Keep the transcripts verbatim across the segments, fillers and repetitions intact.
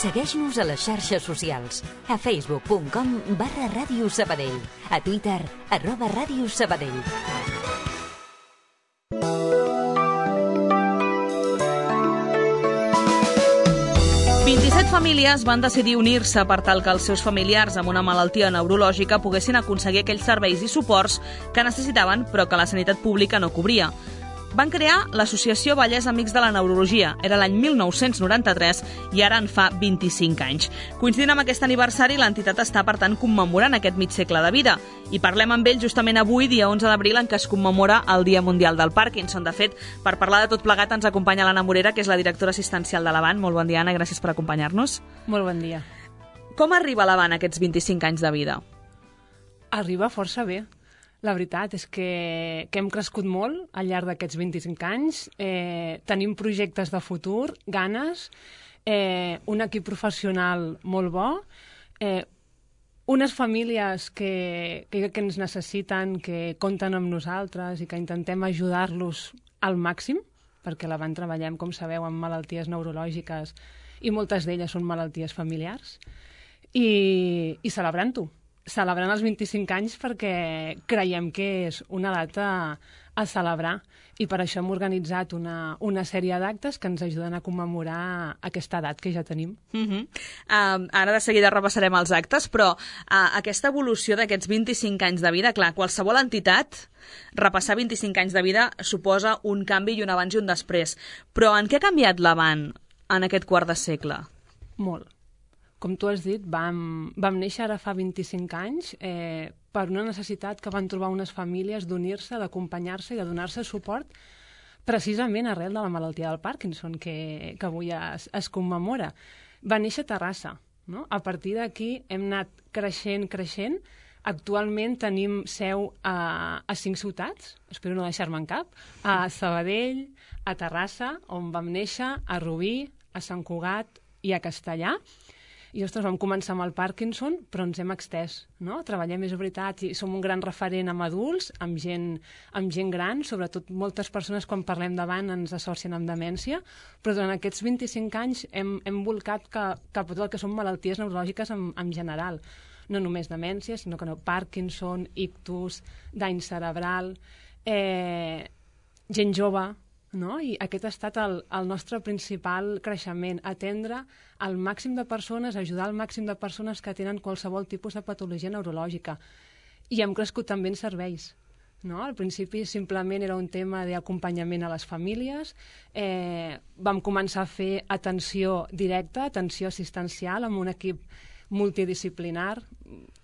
Segueix-nos a les xarxes socials. A facebook punt com barra Ràdio Sabadell. A Twitter, arroba Ràdio Sabadell. vint-i-set famílies van decidir unir-se per tal que els seus familiars amb una malaltia neurològica poguessin aconseguir aquells serveis i suports que necessitaven però que la sanitat pública no cobria. Van crear l'Associació Vallès Amics de la Neurologia. Era l'any mil nou-cents noranta-tres i ara en fa vint-i-cinc anys. Coincidint amb aquest aniversari, l'entitat està, per tant, commemorant aquest mig segle de vida. I parlem amb ell justament avui, dia onze d'abril, en què es commemora el Dia Mundial del Parkinson. De fet, per parlar de tot plegat ens acompanya l'Anna Morera, que és la directora assistencial de l'Avant. Molt bon dia, Anna, gràcies per acompanyar-nos. Molt bon dia. Com arriba l'Avant a aquests vint-i-cinc anys de vida? Arriba força bé. La veritat és que, que hem crescut molt al llarg d'aquests vint-i-cinc anys. Eh, tenim projectes de futur, ganes, eh, un equip professional molt bo, eh, unes famílies que, que, que ens necessiten, que compten amb nosaltres i que intentem ajudar-los al màxim, perquè a l'Avant treballem, com sabeu, amb malalties neurològiques i moltes d'elles són malalties familiars, i, i celebrant-ho. Celebrant els vint-i-cinc anys perquè creiem que és una data a celebrar i per això hem organitzat una, una sèrie d'actes que ens ajuden a commemorar aquesta edat que ja tenim. Uh-huh. uh, ara de seguida repassarem els actes, però uh, aquesta evolució d'aquests vint-i-cinc anys de vida, clar, qualsevol entitat, repassar vint-i-cinc anys de vida suposa un canvi i un abans i un després. Però en què ha canviat l'Avant en aquest quart de segle? Molt. Com tu has dit, vam, vam néixer ara fa vint-i-cinc anys eh, per una necessitat que van trobar unes famílies d'unir-se, d'acompanyar-se i de donar-se suport precisament arrel de la malaltia del Parkinson, que, que avui es, es commemora. Va néixer a Terrassa, no? A partir d'aquí hem anat creixent, creixent. Actualment tenim seu a, a cinc ciutats, espero no deixar-me en cap, a Sabadell, a Terrassa, on vam néixer, a Rubí, a Sant Cugat i a Castellà. I, ostres, vam començar amb el Parkinson, però ens hem extès, no? Treballem, és veritat, i som un gran referent amb adults, amb gent, amb gent gran, sobretot moltes persones quan parlem d'Avant ens associen amb demència, però durant aquests vint-i-cinc anys hem, hem volcat cap, cap a tot el que són malalties neurològiques en, en general. No només demència, sinó que no, Parkinson, ictus, dany cerebral, eh, gent jove, no? I aquest ha estat el, el nostre principal creixement, atendre al màxim de persones, ajudar al màxim de persones que tenen qualsevol tipus de patologia neurològica. I hem crescut també en serveis. No? Al principi simplement era un tema d'acompanyament a les famílies, eh, vam començar a fer atenció directa, atenció assistencial amb un equip multidisciplinar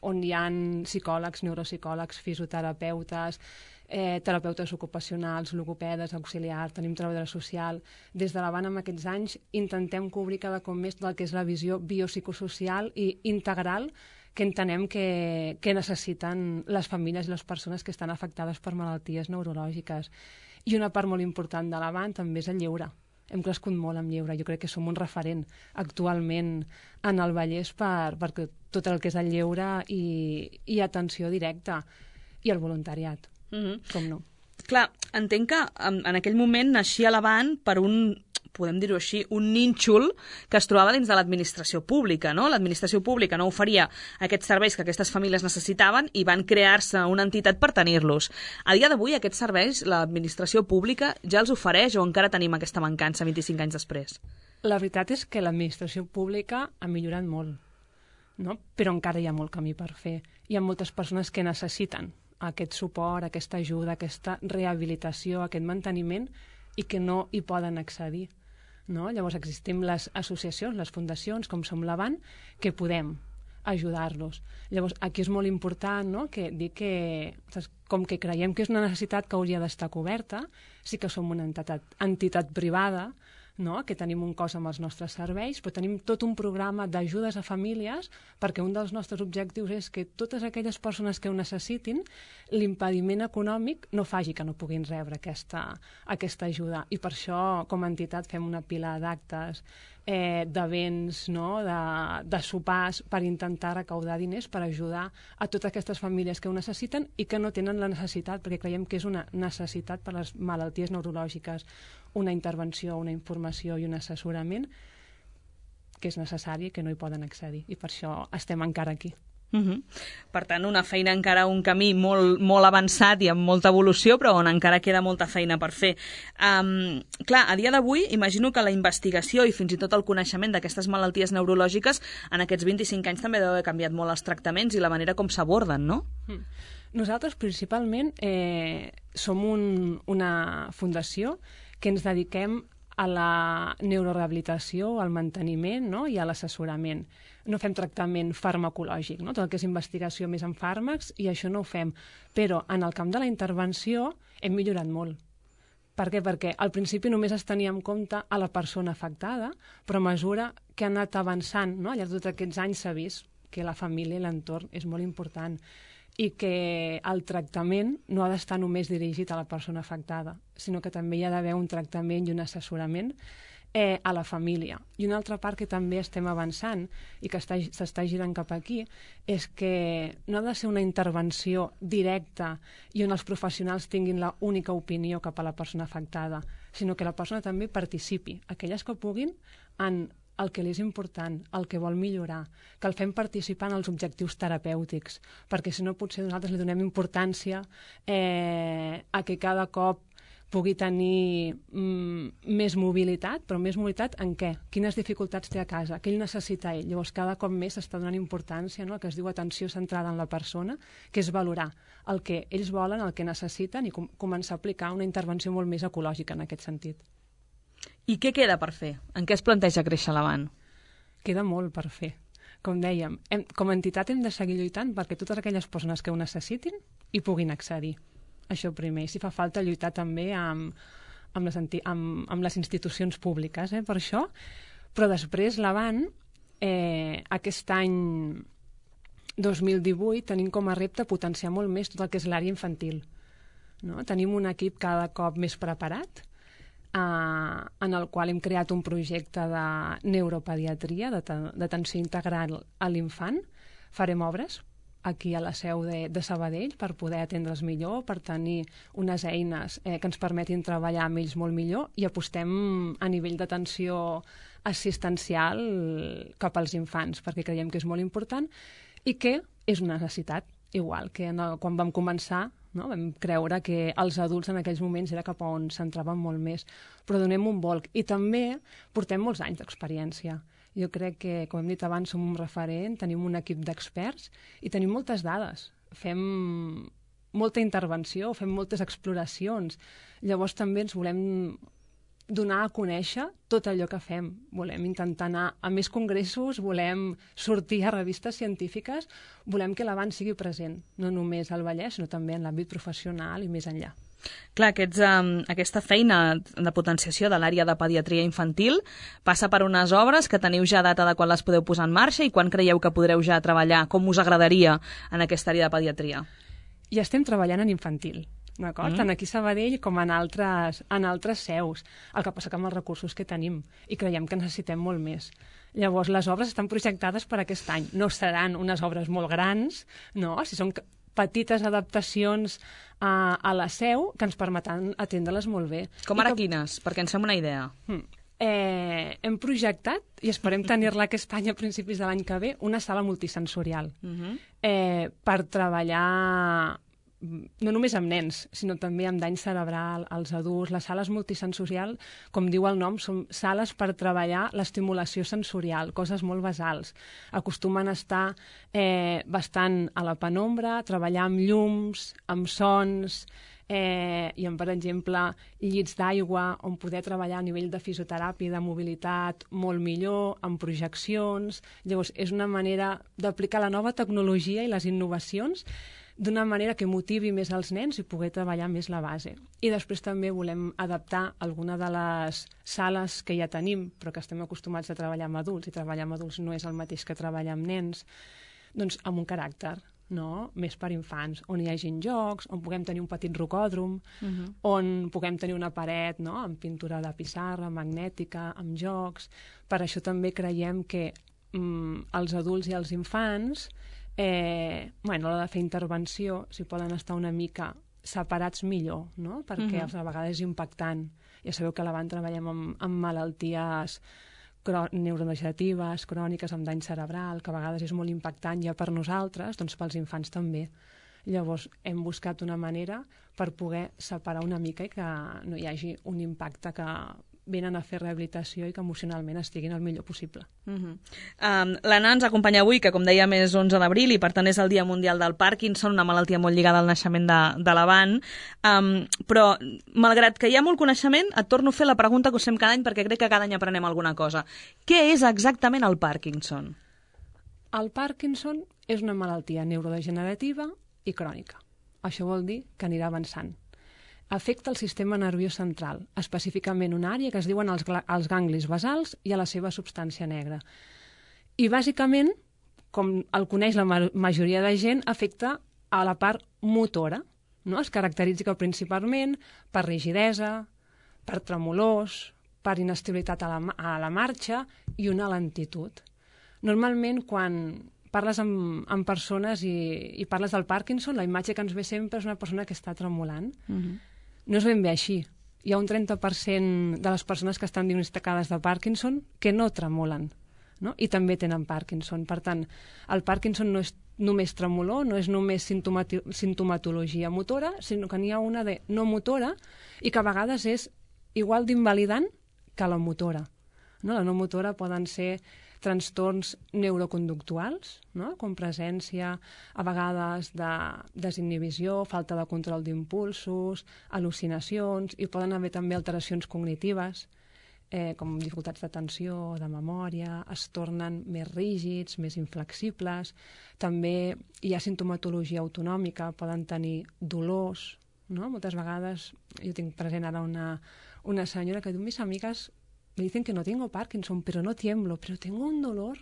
on hi ha psicòlegs, neuropsicòlegs, fisioterapeutes, Eh, terapeutes ocupacionals, logopedes, auxiliars, tenim treballadora social. Des de l'Avant, en aquests anys, intentem cobrir cada cop més del que és la visió biopsicosocial i integral que entenem que, que necessiten les famílies i les persones que estan afectades per malalties neurològiques. I una part molt important de l'Avant també és el lleure. Hem crescut molt amb lleure. Jo crec que som un referent actualment en el Vallès per, per tot el que és el lleure i, i atenció directa i el voluntariat. Mm-hmm. Com no? Clar, entenc que en, en aquell moment naixia l'Avant per un, podem dir-ho així, un nínxol que es trobava dins de l'administració pública, no? L'administració pública no oferia aquests serveis que aquestes famílies necessitaven i van crear-se una entitat per tenir-los. A dia d'avui aquests serveis l'administració pública ja els ofereix o encara tenim aquesta mancança vint-i-cinc anys després? La veritat és que l'administració pública ha millorat molt, no? Però encara hi ha molt camí per fer. Hi ha moltes persones que necessiten aquest suport, aquesta ajuda, aquesta rehabilitació, aquest manteniment i que no hi poden accedir. No? Llavors existim les associacions, les fundacions, com som l'Avant, que podem ajudar-los. Llavors aquí és molt important, no? que dir que, com que creiem que és una necessitat que hauria d'estar coberta, sí que som una entitat, entitat privada, no? que tenim un cost amb els nostres serveis, però tenim tot un programa d'ajudes a famílies perquè un dels nostres objectius és que totes aquelles persones que ho necessitin, l'impediment econòmic no faci que no puguin rebre aquesta, aquesta ajuda. I per això, com a entitat, fem una pila d'actes, eh, d'events, no? de, de sopars, per intentar recaudar diners per ajudar a totes aquestes famílies que ho necessiten i que no tenen la necessitat, perquè creiem que és una necessitat per les malalties neurològiques, una intervenció, una informació i un assessorament que és necessari i que no hi poden accedir. I per això estem encara aquí. Uh -huh. Per tant, una feina encara, un camí molt, molt avançat i amb molta evolució, però on encara queda molta feina per fer. Um, clar, a dia d'avui, imagino que la investigació i fins i tot el coneixement d'aquestes malalties neurològiques en aquests vint-i-cinc anys també deu haver canviat molt els tractaments i la manera com s'aborden, no? Mm. Nosaltres, principalment, eh, som un, una fundació que ens dediquem a la neurorehabilitació, al manteniment, no? I a l'assessorament. No fem tractament farmacològic, no? Tot el que és investigació més en fàrmacs, i això no ho fem. Però en el camp de la intervenció hem millorat molt. Per què? Perquè al principi només es tenia en compte a la persona afectada, però a mesura que ha anat avançant, no? Al llarg de tots aquests anys s'ha vist que la família i l'entorn és molt important i que el tractament no ha d'estar només dirigit a la persona afectada, sinó que també hi ha d'haver un tractament i un assessorament eh, a la família. I una altra part que també estem avançant i que s'està girant cap aquí és que no ha de ser una intervenció directa i on els professionals tinguin la única opinió cap a la persona afectada, sinó que la persona també participi, aquelles que puguin, en el que li és important, el que vol millorar, que el fem participar en els objectius terapèutics, perquè si no potser nosaltres li donem importància eh, a que cada cop pugui tenir mm, més mobilitat, però més mobilitat en què? Quines dificultats té a casa? Què ell necessita ell? Llavors cada cop més s'està donant importància, no?, el que es diu atenció centrada en la persona, que és valorar el que ells volen, el que necessiten i com començar a aplicar una intervenció molt més ecològica en aquest sentit. I què queda per fer? En què es planteja créixer l'Avant? Queda molt per fer. Com dèiem, hem, com a entitat hem de seguir lluitant perquè totes aquelles persones que ho necessitin hi puguin accedir. Això primer. I si fa falta lluitar també amb, amb, les, amb, amb les institucions públiques, eh, per això. Però després l'Avant, eh, aquest any dos mil divuit, tenim com a repte potenciar molt més tot el que és l'àrea infantil. No? Tenim un equip cada cop més preparat, Uh, en el qual hem creat un projecte de neuropediatria, d'atenció integral a l'infant. Farem obres aquí a la seu de, de Sabadell per poder atendre'ls millor, per tenir unes eines eh, que ens permetin treballar amb ells molt millor, i apostem a nivell d'atenció assistencial cap als infants, perquè creiem que és molt important i que és una necessitat, igual que en el, quan vam començar, no? Vam creure que els adults en aquells moments era cap on s'entraven molt més, però donem un volc. I també portem molts anys d'experiència. Jo crec que, com hem dit abans, som un referent, tenim un equip d'experts i tenim moltes dades. Fem molta intervenció, fem moltes exploracions. Llavors també ens volem donar a conèixer tot allò que fem. Volem intentar anar a més congressos, volem sortir a revistes científiques, volem que l'Avant sigui present, no només al Vallès, sinó també en l'àmbit professional i més enllà. Clar, aquests, um, aquesta feina de potenciació de l'àrea de pediatria infantil passa per unes obres que teniu ja data de quan les podeu posar en marxa i quan creieu que podreu ja treballar, com us agradaria en aquesta àrea de pediatria? Ja estem treballant en infantil, d'acord? Mm. Tant aquí a Sabadell com en altres, en altres seus. El que passa que amb els recursos que tenim i creiem que necessitem molt més. Llavors, les obres estan projectades per aquest any. No seran unes obres molt grans, no? Si són petites adaptacions a, a la seu que ens permetran atendre-les molt bé. Com ara que... quines? Perquè ens fem una idea. Mm. Eh, hem projectat, i esperem tenir-la aquest any a principis de l'any que ve, una sala multisensorial. Mm-hmm. eh, per treballar no només amb nens, sinó també amb dany cerebral, als adults. Les sales multisensorial, com diu el nom, són sales per treballar l'estimulació sensorial, coses molt basals. Acostumen a estar eh, bastant a la penombra, treballar amb llums, amb sons, eh, i amb, per exemple, llits d'aigua, on poder treballar a nivell de fisioteràpia, de mobilitat, molt millor, amb projeccions. Llavors, és una manera d'aplicar la nova tecnologia i les innovacions d'una manera que motivi més els nens i poder treballar més la base. I després també volem adaptar alguna de les sales que ja tenim, però que estem acostumats a treballar amb adults, i treballar amb adults no és el mateix que treballar amb nens, doncs amb un caràcter, no? Més per infants, on hi hagin jocs, on puguem tenir un petit rocòdrom, uh-huh. on puguem tenir una paret, no?, amb pintura de pissarra, magnètica, amb jocs. Per això també creiem que mm, els adults i els infants Eh, bueno, a l'hora de fer intervenció, si poden estar una mica separats millor, no? Perquè uh-huh. a vegades és impactant. Ja sabeu que a l'Avant treballem amb, amb malalties neurodegeneratives, cròniques, amb dany cerebral, que a vegades és molt impactant ja per nosaltres, doncs pels infants també. Llavors hem buscat una manera per poder separar una mica i que no hi hagi un impacte, que venen a fer rehabilitació i que emocionalment estiguin el millor possible. Uh -huh. um, L'Anna ens acompanya avui, que com dèiem és onze d'abril i per tant és el Dia Mundial del Parkinson, una malaltia molt lligada al naixement de, de l'Avant. Um, però, malgrat que hi ha molt coneixement, et torno a fer la pregunta que us fem cada any perquè crec que cada any aprenem alguna cosa. Què és exactament el Parkinson? El Parkinson és una malaltia neurodegenerativa i crònica. Això vol dir que anirà avançant. Afecta el sistema nerviós central, específicament una àrea que es diuen els, els ganglis basals i a la seva substància negra. I bàsicament, com el coneix la ma majoria de gent, afecta a la part motora, no? Es caracteritza principalment per rigidesa, per tremolors, per inestabilitat a la, a la marxa i una lentitud. Normalment, quan parles amb, amb persones i, i parles del Parkinson, la imatge que ens ve sempre és una persona que està tremolant. Uh-huh. No és ben bé així. Hi ha un trenta per cent de les persones que estan diagnosticades de Parkinson que no tremolen, no? I també tenen Parkinson. Per tant, el Parkinson no és només tremolor, no és només sintomati sintomatologia motora, sinó que n'hi ha una de no motora i que a vegades és igual d'invalidant que la motora. No? La no motora poden ser trastorns neuroconductuals, no? Com presència a vegades de desinhibició, falta de control d'impulsos, al·lucinacions, i poden haver també alteracions cognitives, eh, com dificultats d'atenció, de memòria, es tornen més rígids, més inflexibles. També hi ha sintomatologia autonòmica, poden tenir dolors, no? Moltes vegades, jo tinc present ara una, una senyora que diu, mis amigas me dicen que no tengo Parkinson, pero no tiemblo, pero tengo un dolor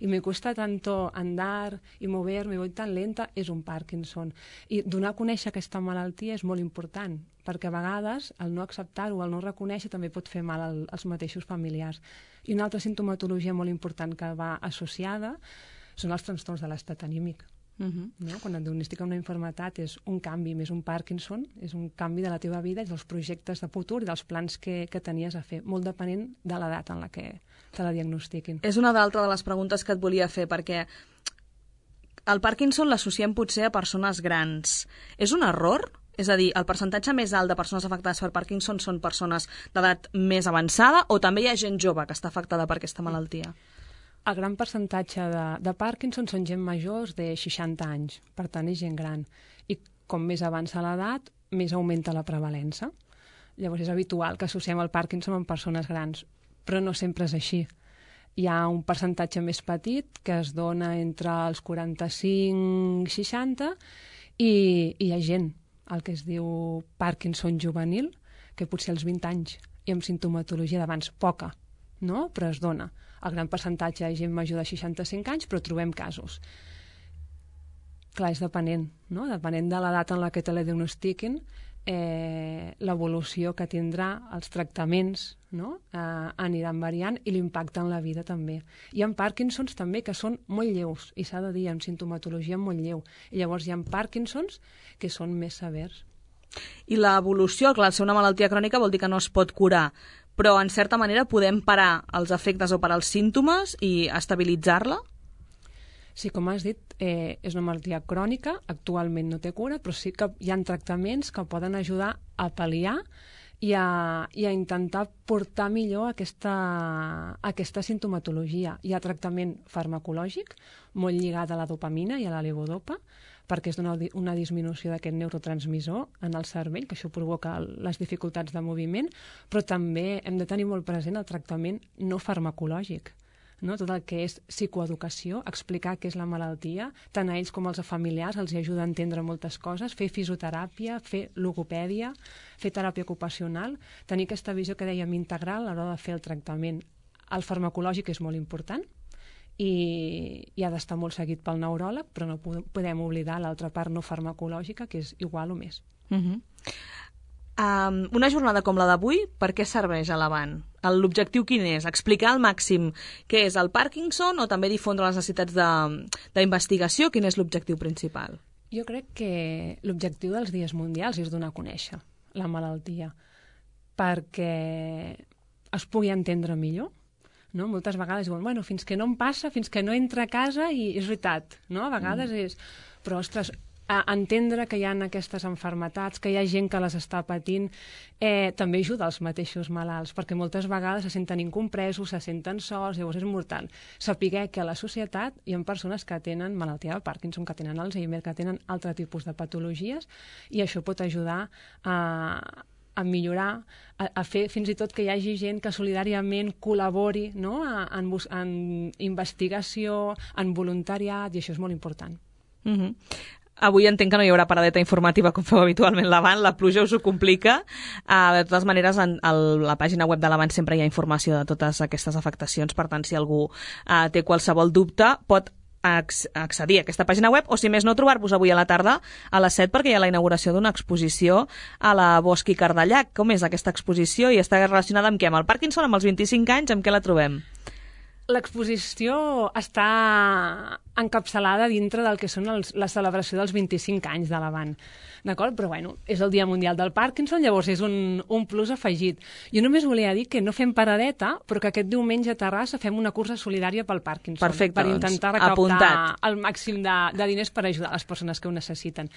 y me cuesta tanto andar y moverme, voy tan lenta, és un Parkinson. I donar a conèixer aquesta malaltia és molt important, perquè a vegades el no acceptar-ho, el no reconèixer, també pot fer mal al, als mateixos familiars. I una altra sintomatologia molt important que va associada són els trastorns de l'estat anímic. Uh-huh. No? Quan et diagnostica una malaltia és un canvi, més un Parkinson, és un canvi de la teva vida i dels projectes de futur i dels plans que, que tenies a fer, molt depenent de l'edat en la que te la diagnostiquin. És una d'altra de les preguntes que et volia fer, perquè el Parkinson l'associem potser a persones grans. És un error? És a dir, el percentatge més alt de persones afectades per Parkinson són persones d'edat més avançada o també hi ha gent jove que està afectada per aquesta malaltia? El gran percentatge de, de Parkinson són gent majors de seixanta anys, per tant és gent gran. I com més avança l'edat, més augmenta la prevalença. Llavors és habitual que associem el Parkinson amb persones grans, però no sempre és així. Hi ha un percentatge més petit que es dona entre els quaranta-cinc i seixanta i, i hi ha gent, el que es diu Parkinson juvenil, que potser als vint anys i amb sintomatologia d'abans poca, no? Però es dona. El gran percentatge és gent major de seixanta-cinc anys, però trobem casos. Clar, és depenent, no? Depenent de l'edat en la que te la diagnostiquin, eh, l'evolució que tindrà, els tractaments, no? eh, aniran variant i l'impacte en la vida també. Hi ha Parkinsons també que són molt lleus, i s'ha de dir, amb sintomatologia molt lleu. I llavors hi ha Parkinsons que són més severs. I l'evolució, clar, al ser una malaltia crònica vol dir que no es pot curar, però en certa manera podem parar els efectes o parar els símptomes i estabilitzar-la? Sí, com has dit, eh, és una malaltia crònica, actualment no té cura, però sí que hi ha tractaments que poden ajudar a pal·liar i a, i a intentar portar millor aquesta, aquesta sintomatologia. Hi ha tractament farmacològic, molt lligat a la dopamina i a la levodopa, perquè és una, una disminució d'aquest neurotransmissor en el cervell, que això provoca les dificultats de moviment, però també hem de tenir molt present el tractament no farmacològic, no? Tot el que és psicoeducació, explicar què és la malaltia, tant a ells com als familiars els ajuda a entendre moltes coses, fer fisioteràpia, fer logopèdia, fer teràpia ocupacional, tenir aquesta visió que dèiem integral a l'hora de fer el tractament. El farmacològic és molt important, i, i ha d'estar molt seguit pel neuròleg, però no podem oblidar l'altra part no farmacològica, que és igual o més. Uh-huh. um, una jornada com la d'avui, per què serveix a l'Avant? L'objectiu quin és? Explicar al màxim què és el Parkinson o també difondre les necessitats d'investigació? Quin és l'objectiu principal? Jo crec que l'objectiu dels dies mundials és donar a conèixer la malaltia, perquè es pugui entendre millor, no? Moltes vegades diuen, bueno, fins que no em passa, fins que no entra a casa, i és veritat, no? A vegades mm. és... Però, ostres, a entendre que hi ha aquestes malalties, que hi ha gent que les està patint, eh, també ajuda als mateixos malalts, perquè moltes vegades se senten incompresos, se senten sols, llavors és mortal. Saber que a la societat hi ha persones que tenen malaltia de Parkinson, que tenen Alzheimer, que tenen altre tipus de patologies, i això pot ajudar a, a millorar, a, a fer fins i tot que hi hagi gent que solidàriament col·labori, no? a, en, en investigació, en voluntariat, i això és molt important. Mhm. Mm Avui entenc que no hi haurà paradeta informativa com feu habitualment l'Avant, la pluja us ho complica. Uh, de totes maneres, en el, la pàgina web de l'Avant sempre hi ha informació de totes aquestes afectacions, per tant, si algú uh, té qualsevol dubte, pot accedir a aquesta pàgina web, o si més no, trobar-vos avui a la tarda a les set, perquè hi ha la inauguració d'una exposició a la Bosch i Cardellac. Com és aquesta exposició i està relacionada amb què? Amb el Parkinson, amb els vint-i-cinc anys, amb què la trobem? L'exposició està encapçalada dintre del que són els, la celebració dels vint-i-cinc anys de l'Avant, d'acord? Però bueno, és el Dia Mundial del Parkinson, llavors és un, un plus afegit. Jo només volia dir que no fem paradeta, però que aquest diumenge a Terrassa fem una cursa solidària pel Parkinson. Perfecte, per intentar recaptar apuntat. el màxim de, de diners per ajudar les persones que ho necessiten.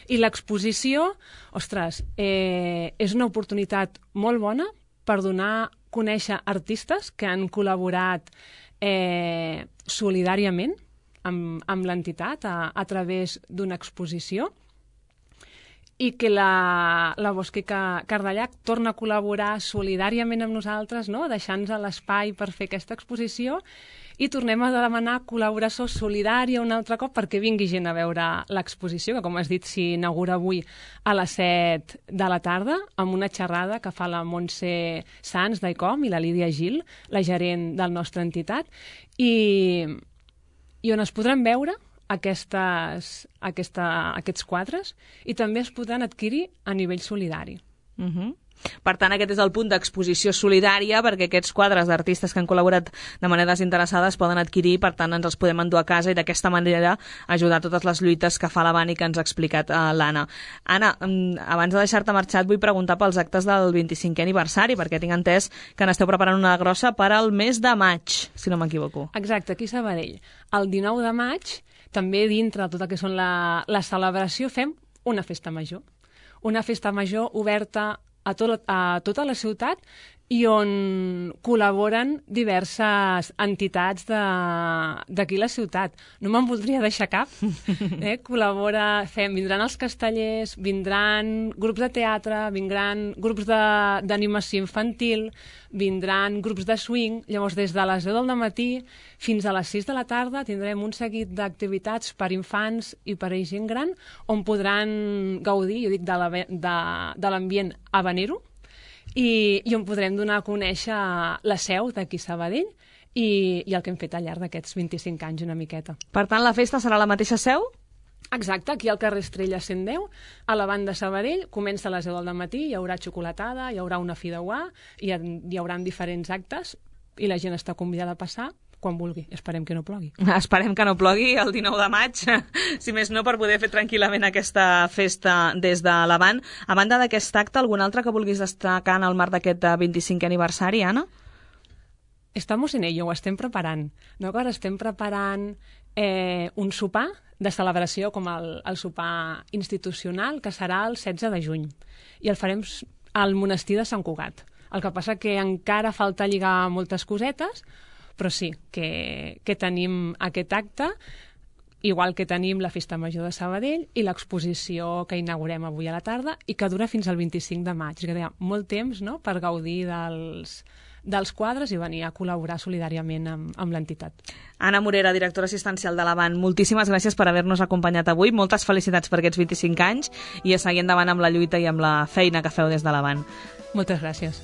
I l'exposició, ostres, eh, és una oportunitat molt bona per donar conèixer artistes que han col·laborat eh, solidàriament amb, amb l'entitat a, a través d'una exposició, i que la, la Bosch i Cardellac torna a col·laborar solidàriament amb nosaltres, no? Deixant-nos l'espai per fer aquesta exposició, i tornem a demanar col·laboració solidària un altre cop perquè vingui gent a veure l'exposició, que, com has dit, s'inaugura avui a les set de la tarda, amb una xerrada que fa la Montse Sans d'Icom i la Lídia Gil, la gerent de la nostra entitat, i, i on es podran veure aquestes, aquesta, aquests quadres, i també es podran adquirir a nivell solidari. Uh-huh. Per tant, aquest és el punt d'exposició solidària, perquè aquests quadres d'artistes que han col·laborat de manera desinteressada es poden adquirir, per tant ens els podem endur a casa i d'aquesta manera ajudar a totes les lluites que fa l'Avant i que ens ha explicat uh, l'Anna. Anna, abans de deixar-te marxar, et vull preguntar pels actes del vint-i-cinquè aniversari, perquè tinc entès que n'esteu preparant una grossa per al mes de maig, si no m'equivoco. Exacte, aquí a Sabadell. El dinou de maig, també dintre de tot el que són la, la celebració, fem una festa major. Una festa major oberta a, tot, a tota la ciutat, i on col·laboren diverses entitats d'aquí la ciutat. No me'n voldria deixar cap. Eh? Col·labora, fem, vindran els castellers, vindran grups de teatre, vindran grups d'animació infantil, vindran grups de swing. Llavors, des de les deu del matí fins a les sis de la tarda tindrem un seguit d'activitats per infants i per a gent gran, on podran gaudir, jo dic, de l'ambient habanero, I, i on podrem donar a conèixer la seu d'aquí Sabadell i, i el que hem fet al llarg d'aquests vint-i-cinc anys una miqueta. Per tant, la festa serà a la mateixa seu? Exacte, aquí al carrer Estrella cent deu, a la banda Sabadell, comença a les deu del matí, hi haurà xocolatada, hi haurà una fideuà, hi, ha, hi haurà diferents actes, i la gent està convidada a passar quan vulgui. Esperem que no plogui. Esperem que no plogui el dinou de maig, si més no, per poder fer tranquil·lament aquesta festa des de l'Avant. A banda d'aquest acte, algun altre que vulguis destacar en el marc d'aquest vint-i-cinquè aniversari, Anna? Estamos en ello, ho estem preparant. No? Ara estem preparant eh, un sopar de celebració, com el, el sopar institucional, que serà el setze de juny. I el farem al monestir de Sant Cugat. El que passa que encara falta lligar moltes cosetes, però sí, que, que tenim aquest acte, igual que tenim la Festa Major de Sabadell i l'exposició que inaugurem avui a la tarda i que dura fins al vint-i-cinc de maig. Que hi ha molt temps, no?, per gaudir dels, dels quadres i venir a col·laborar solidàriament amb, amb l'entitat. Anna Morera, directora assistencial de l'Avant, moltíssimes gràcies per haver-nos acompanyat avui. Moltes felicitats per aquests vint-i-cinc anys i a seguir endavant amb la lluita i amb la feina que feu des de l'Avant. Moltes gràcies.